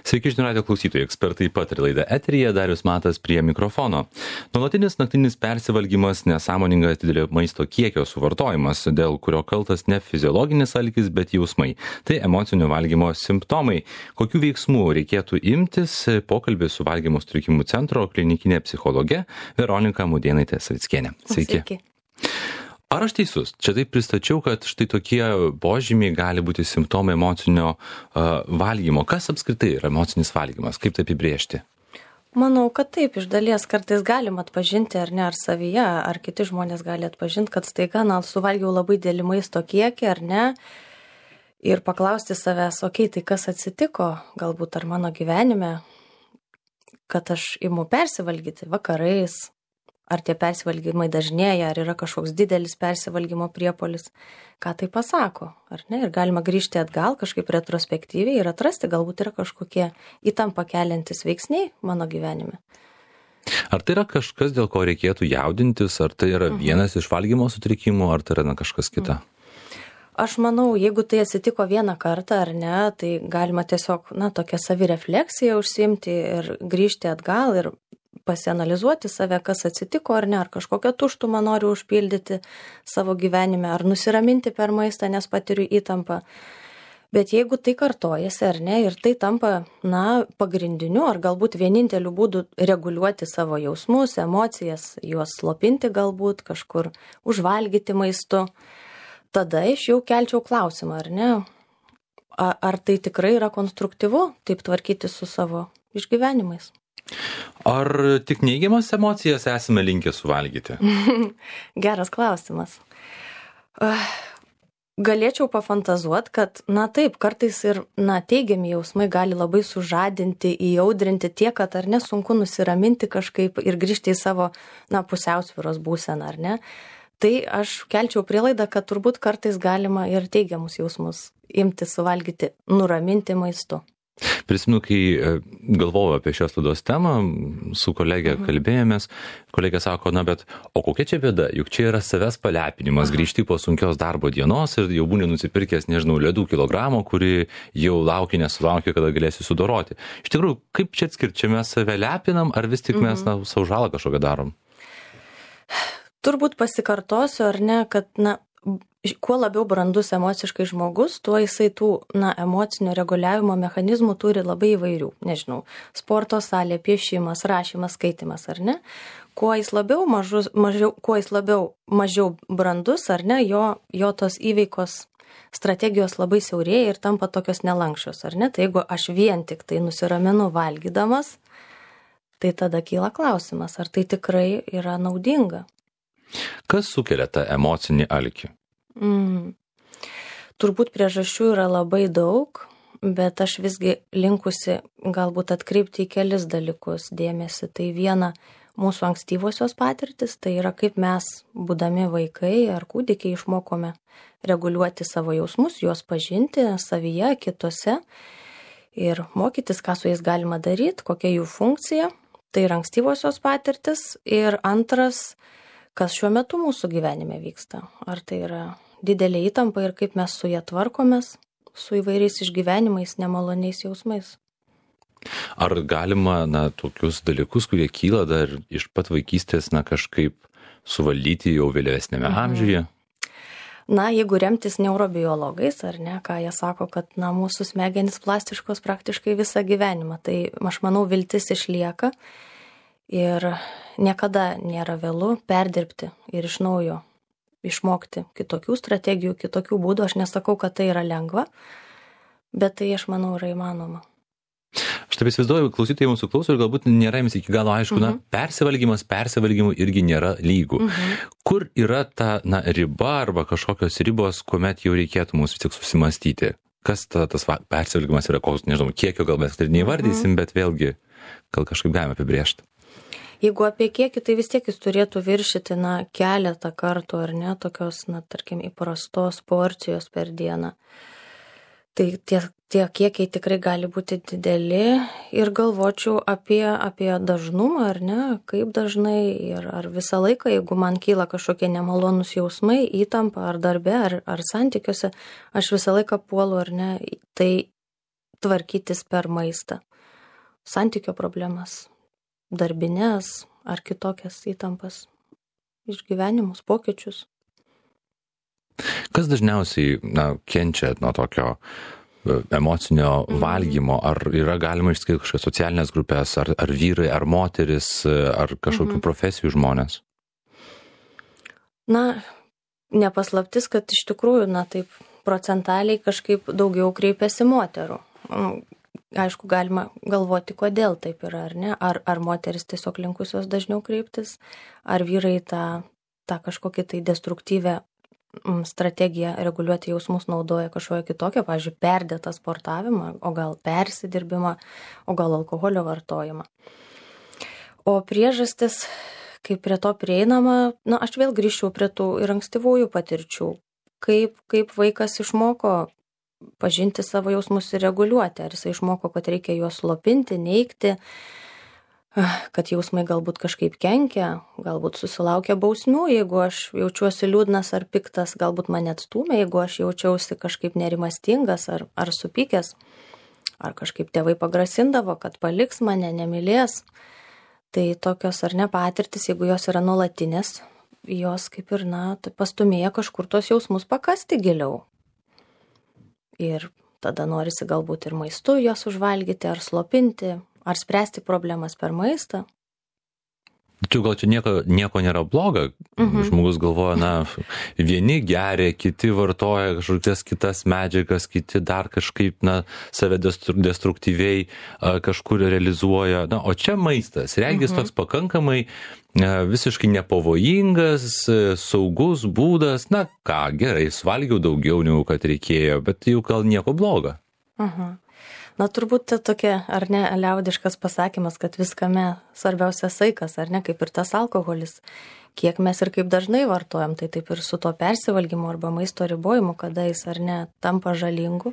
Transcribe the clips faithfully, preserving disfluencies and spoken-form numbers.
Sveiki, žinių radijo klausytojai, ekspertai pataria laida eteryje, Darius Matas prie mikrofono. Nuolatinis naktinis persivalgymas, nesąmoningas didelio maisto kiekio suvartojimas, dėl kurio kaltas ne fiziologinis alkis, bet jausmai. Tai emocinio valgymo simptomai. Kokių veiksmų reikėtų imtis? Pokalbis su valgymo sutrikimų centro klinikinė psichologė Veronika Mudėnaitė-Savickienė. Sveiki. Sveiki. Ar aš teisus? Čia taip pristačiau, kad štai tokie požymiai gali būti simptomai emocinio uh, valgymo. Kas apskritai yra emocinis valgymas? Kaip tai apibrėžti? Manau, kad taip, iš dalies kartais galim atpažinti, ar ne, ar savyje, ar kiti žmonės gali atpažinti, kad staiga, na, suvalgiau labai didelį maisto kiekį, ar ne, ir paklausti savęs, okei, okay, tai kas atsitiko, galbūt ar mano gyvenime, kad aš imu persivalgyti vakarais, ar tie persivalgymai dažnėja, ar yra kažkoks didelis persivalgymo priepuolis, ką tai pasako, ar ne? Ir galima grįžti atgal kažkaip retrospektyviai ir atrasti, galbūt yra kažkokie įtampą keliantis veiksniai mano gyvenime. Ar tai yra kažkas, dėl ko reikėtų jaudintis, ar tai yra vienas iš valgymo sutrikimų, ar tai yra na, kažkas kita? Aš manau, jeigu tai atsitiko vieną kartą ar ne, tai galima tiesiog, na, tokią savirefleksiją užsiimti ir grįžti atgal ir pasianalizuoti save, kas atsitiko ar ne, ar kažkokią tuštumą noriu užpildyti savo gyvenime, ar nusiraminti per maistą, nes patiriu įtampą. Bet jeigu tai kartojasi ar ne, ir tai tampa, na, pagrindiniu, ar galbūt vieninteliu būdu reguliuoti savo jausmus, emocijas, juos slopinti galbūt, kažkur užvalgyti maistu, tada aš jau kelčiau klausimą, ar ne, ar tai tikrai yra konstruktyvu, taip tvarkyti su savo išgyvenimais. Ar tik neigiamas emocijas esame linkę suvalgyti? Geras klausimas. Galėčiau pafantazuoti, kad, na taip, kartais ir, na, teigiami jausmai gali labai sužadinti, įaudrinti tiek, kad ar nesunku nusiraminti kažkaip ir grįžti į savo, na, pusiausvyros būseną, ar ne? Tai aš kelčiau prielaidą, kad turbūt kartais galima ir teigiamus jausmus imti suvalgyti, nuraminti maistu. Prisimenu, kai galvojau apie šios laidos temą, su kolegė kalbėjomės, kolegė sako, na bet, o kokia čia bėda, juk čia yra savęs palepinimas, Aha. grįžti po sunkios darbo dienos ir jau būni nusipirkęs, nežinau, ledų kilogramų, kuri jau laukia, nesulaukia, kada galėsi sudoroti. Iš tikrųjų, kaip čia atskirti, čia mes save lepinam, ar vis tik mes, na, savo žalą kažkokią darom? Turbūt pasikartosiu, ar ne, kad, na, kuo labiau brandus emociškai žmogus, tuo jisai tų, na, emocinio reguliavimo mechanizmų turi labai įvairių. Nežinau, sporto salė, piešimas, rašymas, skaitimas, ar ne? Kuo jis labiau, mažus, mažiau, kuo jis labiau mažiau brandus, ar ne, jo, jo tos įveikos strategijos labai siaurėja ir tampa tokios nelankščios, ar ne? Tai jeigu aš vien tik tai nusiraminu valgydamas, tai tada kyla klausimas, ar tai tikrai yra naudinga. Kas sukelia tą emocinį alkį? Mm. Turbūt priežasčių yra labai daug, bet aš visgi linkusi galbūt atkreipti į kelis dalykus dėmesį. Tai viena, mūsų ankstyvosios patirtis, tai yra kaip mes, būdami vaikai ar kūdikiai, išmokome reguliuoti savo jausmus, juos pažinti savyje, kitose ir mokytis, ką su jais galima daryti, kokia jų funkcija. Tai yra ankstyvosios patirtis. Ir antras, kas šiuo metu mūsų gyvenime vyksta. Ar tai yra didelė įtampa ir kaip mes su ją tvarkomės, su įvairiais išgyvenimais, nemaloniais jausmais. Ar galima, na, tokius dalykus, kurie kyla dar iš pat vaikystės, na, kažkaip suvaldyti jau vėlesnėme mhm. amžiuje? Na, jeigu remtis neurobiologais, ar ne, ką jie sako, kad, na, mūsų smegenys plastiškos praktiškai visą gyvenimą, tai aš manau, viltis išlieka. Ir niekada nėra vėlu perdirbti ir iš naujo išmokti kitokių strategijų, kitokių būdų. Aš nesakau, kad tai yra lengva, bet tai, aš manau, yra įmanoma. Aš taip įsivaizduoju, klausytojai mūsų klauso ir galbūt nėra jums iki galo aišku, uh-huh. na, persivalgymas, persivalgymų irgi nėra lygų. Uh-huh. Kur yra ta, na, riba arba kažkokios ribos, kuomet jau reikėtų mums vis tik susimastyti? Kas ta, tas persivalgymas yra, koks, nežinau, kiekio gal mes tai neįvardysim, uh-huh. bet vėlgi gal kažkaip galime apibrėžti. Jeigu apie kiekį, tai vis tiek jis turėtų viršyti, na, keletą kartų, ar ne, tokios, na, tarkim, įprastos porcijos per dieną. Tai tie, tie kiekiai tikrai gali būti dideli ir galvočiau apie, apie dažnumą, ar ne, kaip dažnai ir ar visą laiką, jeigu man kyla kažkokie nemalonus jausmai, įtampa ar darbe, ar, ar santykiuose, aš visą laiką puolu, ar ne, tai tvarkytis per maistą. santykio problemas, darbinės ar kitokias įtampas, išgyvenimus, pokyčius. Kas dažniausiai, na, kenčia nuo tokio emocinio mm. valgymo? Ar yra galima išskirti kažkokias socialinės grupės, ar, ar vyrai, ar moteris, ar kažkokių mm-hmm. profesijų žmonės? Na, nepaslaptis, kad iš tikrųjų, na, taip procentaliai kažkaip daugiau kreipiasi moterų. Aišku, galima galvoti, kodėl taip yra, ar ne? Ar, ar moteris tiesiog linkusios dažniau kreiptis, ar vyrai tą, tą kažkokį tai destruktyvę strategiją reguliuoti jausmus naudoja kažkokią kitokią, pavyzdžiui, perdėtą sportavimą, o gal persidirbimą, o gal alkoholio vartojimą. O priežastis, kaip prie to prieinama, na, aš vėl grįžčiau prie tų ir ankstyvųjų patirčių. Kaip, kaip vaikas išmoko pažinti savo jausmus ir reguliuoti. Ar jisai išmoko, kad reikia juos slopinti, neigti, kad jausmai galbūt kažkaip kenkia, galbūt susilaukia bausmių, jeigu aš jaučiuosi liūdnas ar piktas, galbūt mane atstūmė, jeigu aš jaučiausi kažkaip nerimastingas ar, ar supykęs, ar kažkaip tėvai pagrasindavo, kad paliks mane, nemylės. Tai tokios ar ne patirtis, jeigu jos yra nuolatinės, jos kaip ir, na, pastumėja kažkur tos jausmus pakasti giliau. Ir tada norisi galbūt ir maistu jos užvalgyti, ar slopinti, ar spręsti problemas per maistą. Čia gal čia nieko, nieko nėra bloga. Mhm. Žmogus galvoja, na, vieni geria, kiti vartoja kažkokias kitas medžiagas, kiti dar kažkaip, na, save destruktyviai kažkur realizuoja. Na, o čia maistas. Regis mhm. toks pakankamai visiškai nepavojingas, saugus būdas. Na, ką, gerai, suvalgiau daugiau negu kad reikėjo, bet jau gal nieko bloga. Mhm. Na, turbūt tokia, ar ne, liaudiškas pasakymas, kad viskame svarbiausia saikas, ar ne, kaip ir tas alkoholis. Kiek mes ir kaip dažnai vartojam, tai taip ir su to persivalgymu arba maisto ribojimu, kada jis, ar ne, tampa žalingu,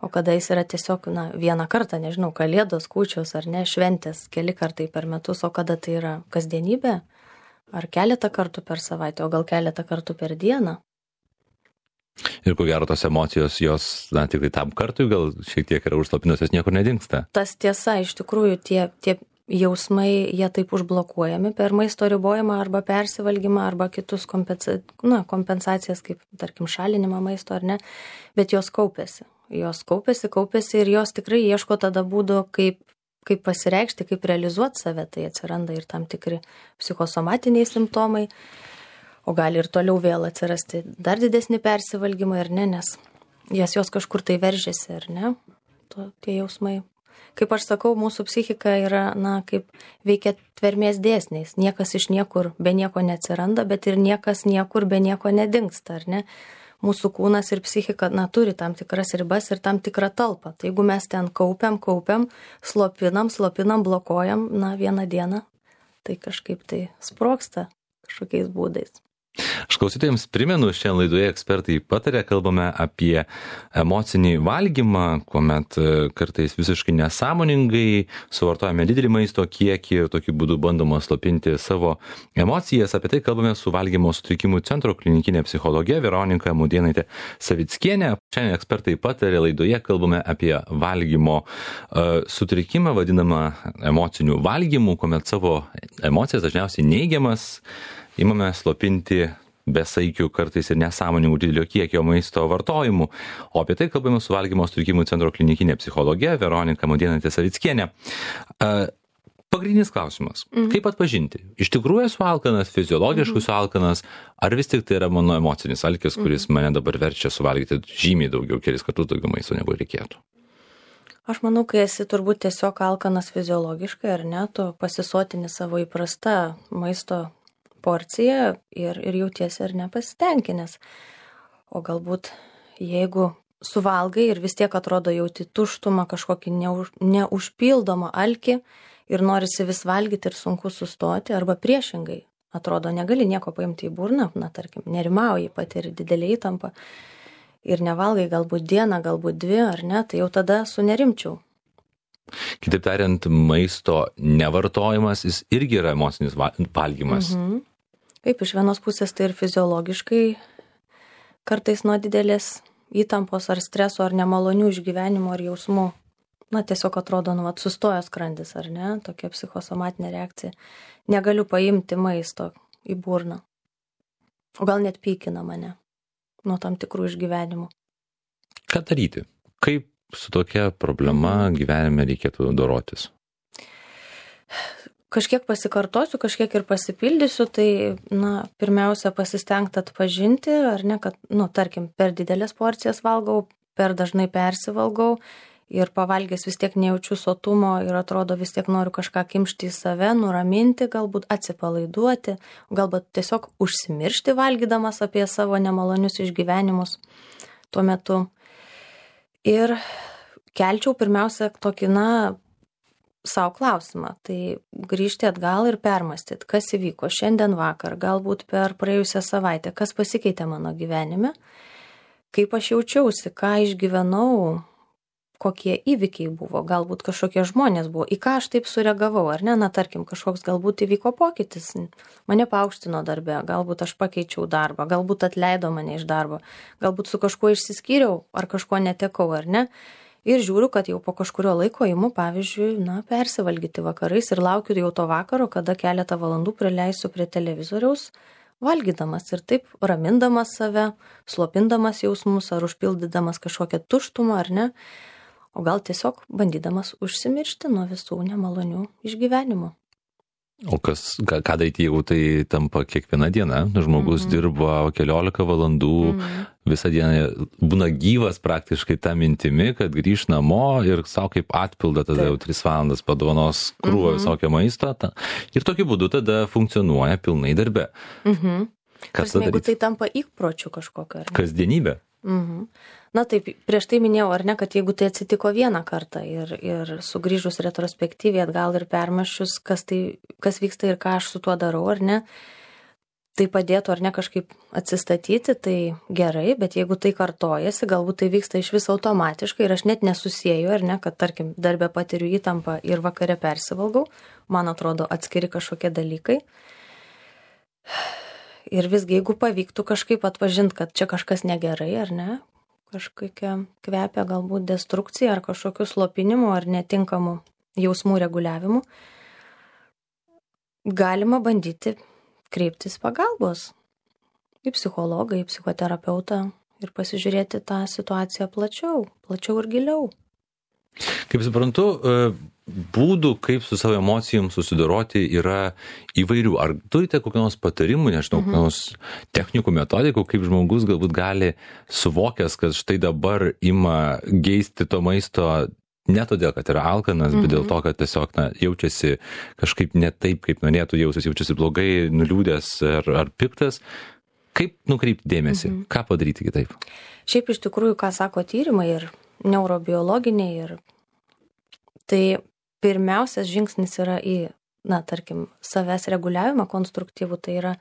o kada jis yra tiesiog, na, vieną kartą, nežinau, kalėdos, kūčios, ar ne, šventės, keli kartai per metus, o kada tai yra kasdienybė, ar keletą kartų per savaitę, o gal keletą kartų per dieną. Ir ko gero tos emocijos, jos, na, tik tai tam kartui gal šiek tiek yra užslapinusios, niekur nedingsta. Tas tiesa, iš tikrųjų, tie, tie jausmai, jie taip užblokuojami per maisto ribojimą arba persivalgymą arba kitus kompensa, na, kompensacijas, kaip, tarkim, šalinimą maisto ar ne, bet jos kaupiasi. Jos kaupiasi, kaupiasi ir jos tikrai ieško tada būdų, kaip, kaip pasireikšti, kaip realizuoti save, tai atsiranda ir tam tikri psichosomatiniai simptomai. O gali ir toliau vėl atsirasti dar didesnį persivalgymą, ar ne, nes jas jos kažkur tai veržiasi, ar ne, to, tie jausmai. Kaip aš sakau, mūsų psichika yra, na, kaip veikia tvermės dėsniais. Niekas iš niekur be nieko neatsiranda, bet ir niekas niekur be nieko nedingsta, ar ne. Mūsų kūnas ir psichika, na, turi tam tikras ribas ir tam tikrą talpą. Tai jeigu mes ten kaupiam, kaupiam, slopinam, slopinam, blokuojam, na, vieną dieną, tai kažkaip tai sprogsta kažkokiais būdais. Aš klausytojams primenu, šiandien laidoje ekspertai patarė, kalbame apie emocinį valgymą, kuomet kartais visiškai nesąmoningai suvartojame didelį maisto kiekį ir tokiu būdu bandoma slopinti savo emocijas. Apie tai kalbame su valgymo sutrikimų centro klinikinė psichologė Veronika Mudėnaitė Savickienė. Šiandien ekspertai patarė laidoje, kalbame apie valgymo uh, sutrikimą, vadinamą emocinių valgymų, kuomet savo emocijas dažniausiai neigiamas imame slopinti besaikių kartais ir nesąmoningų didelio kiekio maisto vartojimu. O apie tai kalbame su valgymo sutrikimų centro klinikinė psichologė Veronika Mudėnaitė Savickienė. Pagrindinis klausimas. Mhm. Kaip atpažinti? Iš tikrųjų esu alkanas, fiziologiškai esu alkanas, ar vis tik tai yra mano emocinis alkis, kuris mhm. mane dabar verčia suvalgyti žymiai daugiau, kelis kartus daugiau maisto negu reikėtų? Aš manau, kai esi turbūt tiesiog alkanas fiziologiškai, ar ne, tu pasisotini savo įprastą maisto porciją ir, ir jautiesi ar nepasitenkinęs. O galbūt jeigu suvalgai ir vis tiek atrodo jauti tuštumą, kažkokį neuž, neužpildomą alkį ir norisi vis valgyti ir sunku sustoti, arba priešingai, atrodo negali nieko paimti į burną, na tarkim, nerimauji, patiri didelį įtampą ir nevalgai galbūt dieną, galbūt dvi, ar ne, tai jau tada sunerimčiau. Kitaip tariant, maisto nevartojimas, jis irgi yra emocinis valgymas. Mhm. Kaip iš vienos pusės tai ir fiziologiškai kartais nuo didelės įtampos ar streso ar nemalonių išgyvenimų ar jausmų na, tiesiog atrodo, nu, vat, sustojo skrandis, ar ne, tokia psichosomatinė reakcija. Negaliu paimti maisto į burną. O gal net pykina mane nuo tam tikrų išgyvenimų. Ką daryti? Kaip su tokia problema gyvenime reikėtų dorotis? Kažkiek pasikartosiu, kažkiek ir pasipildysiu, tai, na, pirmiausia, pasistengti atpažinti, ar ne, kad, nu, tarkim, per didelės porcijas valgau, per dažnai persivalgau ir pavalgęs vis tiek nejaučiu sotumo ir atrodo vis tiek noriu kažką kimšti į save, nuraminti, galbūt atsipalaiduoti, galbūt tiesiog užsimiršti valgydamas apie savo nemalonius išgyvenimus tuo metu. Ir kelčiau pirmiausia tokį, na, savo klausimą, tai grįžti atgal ir permastyti, kas įvyko šiandien vakar, galbūt per praėjusią savaitę, kas pasikeitė mano gyvenime, kaip aš jaučiausi, ką išgyvenau, kokie įvykiai buvo, galbūt kažkokie žmonės buvo, į ką aš taip sureagavau, ar ne, na tarkim, kažkoks galbūt įvyko pokytis, mane paaukštino darbe, galbūt aš pakeičiau darbą, galbūt atleido mane iš darbo, galbūt su kažkuo išsiskyriau, ar kažkuo netekau, ar ne. Ir žiūriu, kad jau po kažkurio laiko imu, pavyzdžiui, na, persivalgyti vakarais ir laukiu jau to vakaro, kada keletą valandų praleisiu prie televizoriaus, valgydamas ir taip ramindamas save, slopindamas jausmus ar užpildydamas kažkokią tuštumą, ar ne, o gal tiesiog bandydamas užsimiršti nuo visų nemalonių išgyvenimų. O kas, ką, ką daryti, jeigu tai tampa kiekviena diena? Žmogus mm-hmm. dirba keliolika valandų, mm-hmm. visą dieną būna gyvas praktiškai tą mintimi, kad grįž namo ir savo kaip atpildą tada Taip. Jau tris valandas padovanos krūvą mm-hmm. visokio maisto. Ta, ir tokiu būdu tada funkcionuoja pilnai darbe. Mhm. Kas tada daryti? Jeigu tai tampa įpročiu kažkokio, ar ne? Kasdienybė. Mhm. Na taip, prieš tai minėjau, ar ne, kad jeigu tai atsitiko vieną kartą ir, ir sugrįžus retrospektyviai atgal ir permaščius, kas, tai, kas vyksta ir ką aš su tuo darau, ar ne, tai padėtų ar ne kažkaip atsistatyti, tai gerai, bet jeigu tai kartojasi, galbūt tai vyksta iš vis automatiškai ir aš net nesusieju, ar ne, kad tarkim darbę patiriu įtampą ir vakare persivalgau, man atrodo atskiri kažkokie dalykai. Ir visgi, jeigu pavyktų kažkaip atpažinti, kad čia kažkas negerai, ar ne, kažkokia kvepia galbūt destrukcija ar kažkokiu slopinimu ar netinkamu jausmų reguliavimu, galima bandyti kreiptis pagalbos į psichologą, į psichoterapeutą ir pasižiūrėti tą situaciją plačiau, plačiau ir giliau. Kaip suprantu, būdų, kaip su savo emocijom susidoroti yra įvairių. Ar turite kokių nors patarimų, nežinau, kokių nors technikų, metodikų, kaip žmogus galbūt gali suvokęs, kad štai dabar ima geisti to maisto ne todėl, kad yra alkanas, bet dėl to, kad tiesiog na, jaučiasi kažkaip ne taip, kaip norėtų jausis, jaučiasi blogai, nuliūdęs ar, ar piktas. Kaip nukreipti dėmesį? Mhm. Ką padaryti kitaip? Šiaip iš tikrųjų, ką sako tyrimai ir neurobiologiniai, ir tai pirmiausias žingsnis yra į, na, tarkim, savęs reguliavimą konstruktyvų, tai yra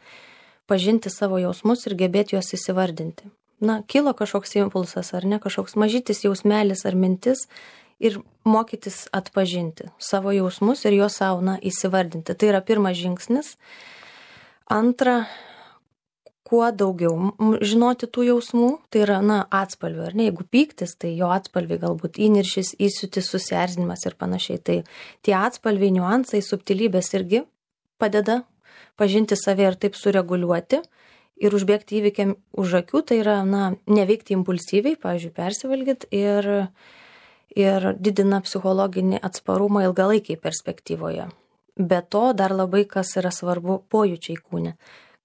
pažinti savo jausmus ir gebėti juos įsivardinti. Na, kilo kažkoks impulsas ar ne, kažkoks mažytis jausmelis ar mintis ir mokytis atpažinti savo jausmus ir juos savo, na, įsivardinti. Tai yra pirmas žingsnis. Antra, kuo daugiau žinoti tų jausmų, tai yra, na, atspalvių, ar ne, jeigu pyktis, tai jo atspalviai galbūt įniršis, įsiūtis, susierzinimas ir panašiai. Tai tie atspalviai, niuansai, subtilybės irgi padeda pažinti save ir taip sureguliuoti ir užbėgti įvykiam už akių, tai yra, na, neveikti impulsyviai, pavyzdžiui, persivalgyt ir, ir didina psichologinį atsparumą ilgalaikiai perspektyvoje. Be to, dar labai kas yra svarbu, pojūčiai kūne,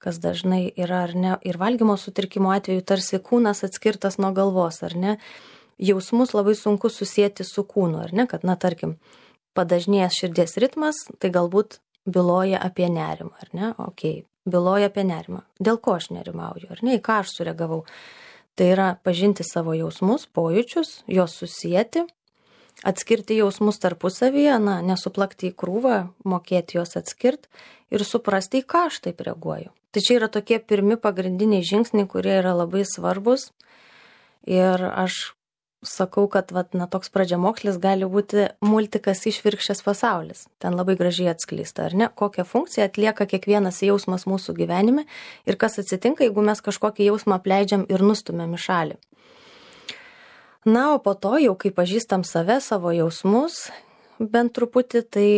kas dažnai yra, ar ne, ir valgymo sutrikimo atveju tarsi kūnas atskirtas nuo galvos, ar ne, jausmus labai sunku susijęti su kūnu, ar ne, kad, na, tarkim, padažnėjęs širdies ritmas, tai galbūt byloja apie nerimą, ar ne, okei, okay, byloja apie nerimą, dėl ko aš nerimauju, ar ne, į ką aš sureagavau. Tai yra pažinti savo jausmus, pojūčius, juos susijęti, atskirti jausmus tarpusavyje, na, nesuplakti į krūvą, mokėti juos atskirti ir suprasti, į ką aš taip reaguoju. Tai čia yra tokie pirmi pagrindiniai žingsniai, kurie yra labai svarbus. Ir aš sakau, kad vat, na, toks pradžiamokslis gali būti multikas išvirkščias pasaulis. Ten labai gražiai atskleista, ar ne? Kokią funkciją atlieka kiekvienas jausmas mūsų gyvenime ir kas atsitinka, jeigu mes kažkokį jausmą apleidžiam ir nustumėm į šalį. Na, o po to jau, kai pažįstam save, savo jausmus, bent truputį, tai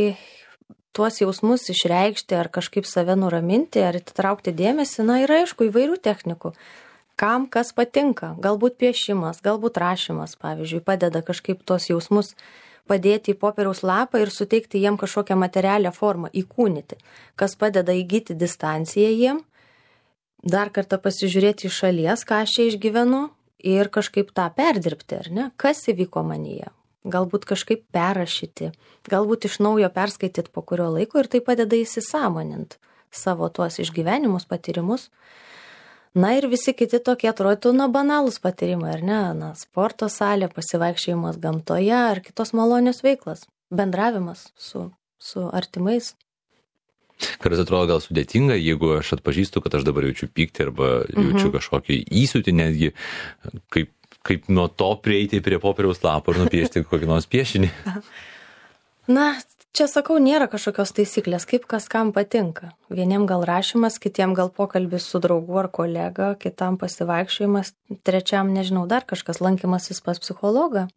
tuos jausmus išreikšti ar kažkaip save nuraminti, ar atitraukti dėmesį, na, yra aišku įvairių technikų. Kam kas patinka, galbūt piešimas, galbūt rašymas, pavyzdžiui, padeda kažkaip tuos jausmus padėti į popieriaus lapą ir suteikti jiem kažkokią materialią formą, įkūnyti, kas padeda įgyti distanciją jiem, dar kartą pasižiūrėti iš šalies, ką aš čia išgyvenu ir kažkaip tą perdirbti, ar ne, kas įvyko manyje. Galbūt kažkaip perrašyti, galbūt iš naujo perskaityti po kurio laiko ir tai padeda įsisąmonint savo tuos išgyvenimus, patyrimus. Na ir visi kiti tokie atrodytų, na, banalūs patyrimai, ar ne? Na, sporto salė, pasivaikščiojimas gamtoje ar kitos malonios veiklas, bendravimas su, su artimais. Kartais atrodo gal sudėtinga, jeigu aš atpažįstu, kad aš dabar jaučiu pyktį arba jaučiu mhm. kažkokį įsiūtį netgi, kaip kaip nuo to prieiti prie popieriaus lapo ir nupiešti kokį nors piešinį. Na, čia sakau, nėra kažkokios taisyklės, kaip kas kam patinka. Vieniem gal rašymas, kitiem gal pokalbis su draugu ar kolega, kitam pasivaikščiojimas, trečiam, nežinau, dar kažkas lankymasis pas psichologą.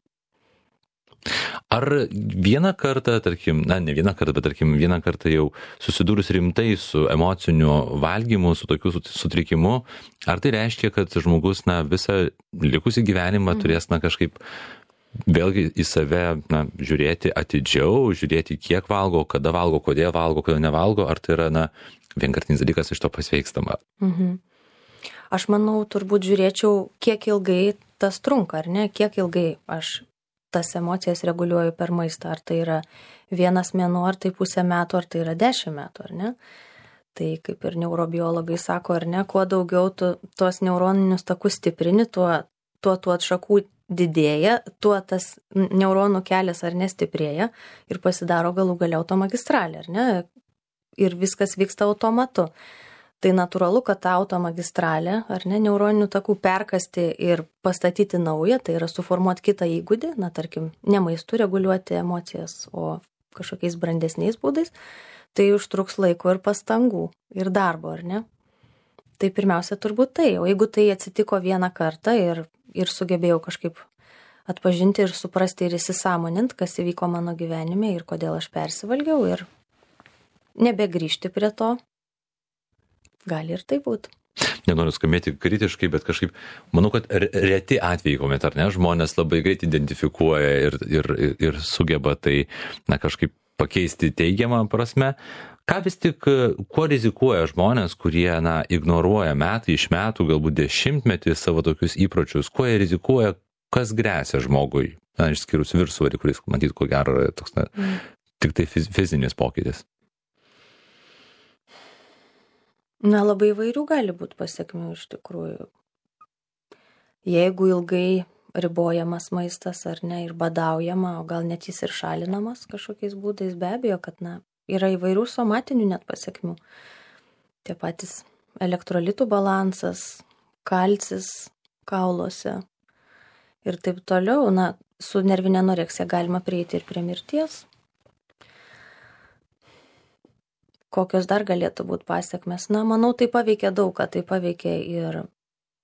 Ar vieną kartą, tarkim, na, ne vieną kartą, bet tarkim, vieną kartą jau susidūrus rimtai su emociniu valgymu, su tokiu sutrikimu, ar tai reiškia, kad žmogus, na, visą likusį gyvenimą mm. turės, na, kažkaip vėlgi į save, na, žiūrėti atidžiau, žiūrėti, kiek valgo, kada valgo, kodėl valgo, kodėl nevalgo, ar tai yra, na, vienkartinis dalykas iš to pasveikstama? Mhm. Aš manau, turbūt žiūrėčiau, kiek ilgai tas trunka, ar ne, kiek ilgai aš tas emocijas reguliuoju per maistą, ar tai yra vienas mėnuo, ar tai pusę metų, ar tai yra dešimt metų, ar ne? Tai kaip ir neurobiologai sako, ar ne, kuo daugiau tu tuos neuroninius takus stiprini, tuo, tuo tų atšakų didėja, tuo tas neuronų kelias ar nestiprėja ir pasidaro galų gale automagistralė, ar ne? Ir viskas vyksta automatu. Tai natūralu, kad tą automagistralę, ar ne, neuroninių takų perkasti ir pastatyti naują, tai yra suformuoti kitą įgūdį, na, tarkim, ne maistu reguliuoti emocijas, o kažkokiais brandesniais būdais, tai užtruks laiko ir pastangų, ir darbo, ar ne? Tai pirmiausia turbūt tai, o jeigu tai atsitiko vieną kartą ir, ir sugebėjau kažkaip atpažinti ir suprasti ir įsisąmonint, kas įvyko mano gyvenime ir kodėl aš persivalgiau ir nebegrįžti prie to, gali ir tai būti. Nenoriu skambėti kritiškai, bet kažkaip, manau, kad reti atvejai, kuomet, ar ne, žmonės labai greit identifikuoja ir, ir, ir sugeba tai, na, kažkaip pakeisti teigiamą prasme. Ką vis tik, kuo rizikuoja žmonės, kurie, na, ignoruoja metai iš metų, galbūt dešimtmetį savo tokius įpročius, kuo jie rizikuoja, kas grėsia žmogui, na, išskyrus viršsvorį, kuris, matyt, ko gero, toks, na, mm. tik tai fizinis pokytis. Na, labai įvairių gali būti pasiekmių iš tikrųjų. Jeigu ilgai ribojamas maistas ar ne ir badaujama, o gal net jis ir šalinamas kažkokiais būdais, be abejo, kad, na, yra įvairių somatinių net pasiekmių. Tie patys elektrolitų balansas, kalcis kauluose ir taip toliau. Na, su nervinė anoreksija galima prieiti ir prie mirties. Kokios dar galėtų būti pasiekmes? Na, manau, tai paveikia daug, kad tai paveikia ir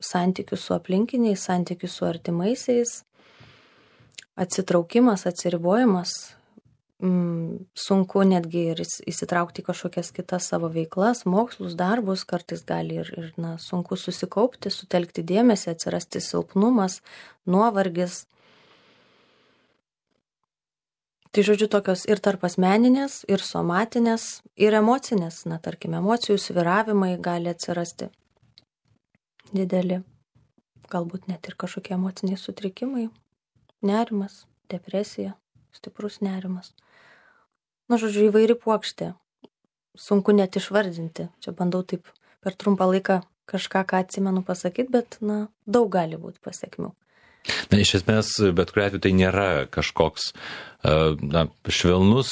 santykius su aplinkiniais, santykius su artimaisiais, atsitraukimas, atsiribojimas, mm, sunku netgi ir įsitraukti į kažkokias kitas savo veiklas, mokslus, darbus, kartais gali ir, ir na, sunku susikaupti, sutelkti dėmesį, atsirasti silpnumas, nuovargis. Tai žodžiu tokios ir tarp asmeninės, ir somatinės, ir emocinės, na, tarkim, emocijų svyravimai gali atsirasti dideli, galbūt net ir kažkokie emociniai sutrikimai, nerimas, depresija, stiprus nerimas. Na, žodžiu, įvairi puokštė, sunku net išvardinti, čia bandau taip per trumpą laiką kažką, ką atsimenu pasakyti, bet, na, daug gali būti pasiekmių. Na, iš esmės, bet kuriuo atveju tai nėra kažkoks na, švelnus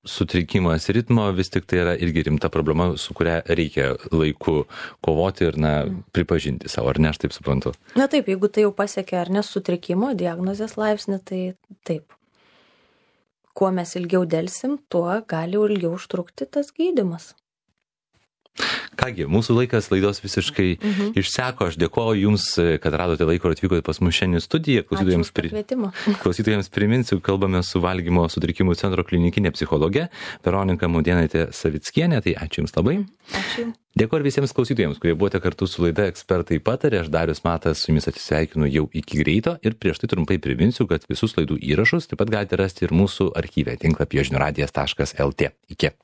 sutrikimas ritmo, vis tik tai yra irgi rimta problema, su kuria reikia laiku kovoti ir, na, pripažinti savo, ar ne, aš taip suprantu? Na taip, jeigu tai jau pasiekia ar ne sutrikimo, diagnozės laipsnį, tai taip. Kuo mes ilgiau delsim, tuo gali ilgiau užtrukti tas gydymas. Kągi, mūsų laikas laidos visiškai mhm. išseko. Aš dėkoju Jums, kad radote laiko ir atvykote pas mus šiandien į studiją. Klausytojams, pri... Klausytojams priminsiu, kalbame su valgymo sutrikimų centro klinikinė psichologė Veronika Mudėnaitė Savickienė. Tai ačiū Jums labai. Ačiū. Dėkoju visiems klausytojams, kurie buvote kartu su laida Ekspertai patarė. Aš Darius Matas su Jumis atsisveikinu jau iki greito ir prieš tai trumpai priminsiu, kad visus laidų įrašus taip pat galite rasti ir mūsų archyve tinklapyje žinių radijas taškas el tė. Iki.